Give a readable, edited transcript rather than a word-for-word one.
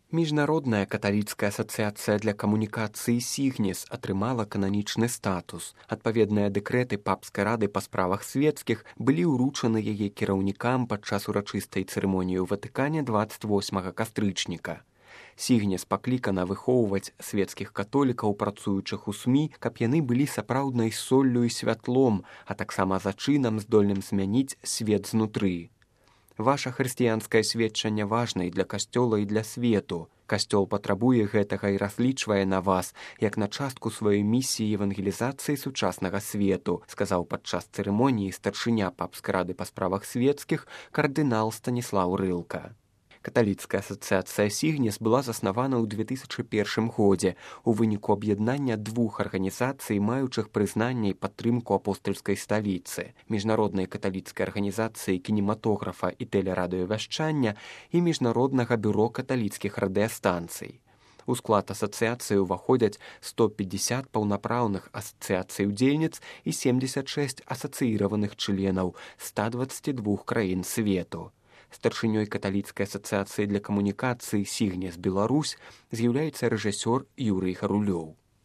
Міжнародная каталіцкая асацыяцыя для камунікацыі «Сігнес» атрымала кананічны статус. Адпаведныя дэкрэты папскай рады па справах свецкіх былі ўручаны яе кіраўнікам падчас урачыстай цырымоніі ў Ватыкане 28 кастрычніка. «Сігнес» паклікана выхоўваць свецкіх католікаў, працуючых у СМІ, каб яны былі сапраўднай соллю і святлом, а таксама зачынам, здольным змяніць свет знутры. Ваша хрысціянскае сведчанне важна і для касцёла, і для свету. Касцёл патрабуе гэтага і разлічвае на вас, як на частку сваёй місіі евангелізацыі сучаснага свету, сказаў падчас цырымоніі старшыня папскай рады па справах свецкіх кардынал Станіслаў Рылка. Каталіцкая асацыяцыя «Сігнес» была заснавана ў 2001 годзе у выніку аб'яднання двух арганізацый, маючых прызнанне і падтрымку апостальскай сталіцы, міжнароднай каталіцкай арганізацыі кінематографа і тэлерадыёвяшчання і міжнароднага бюро каталіцкіх радыёстанцый. У склад асацыяцыі ўваходзяць 150 паўнапраўных асацыяцый-удзельніц і 76 асацыіраваных членаў 122 краін свету. Старшынёй каталіцкай асацыяцыі для камунікацыі «Сігнес Беларусь» з'яўляецца рэжысёр Юрый Гарулёў.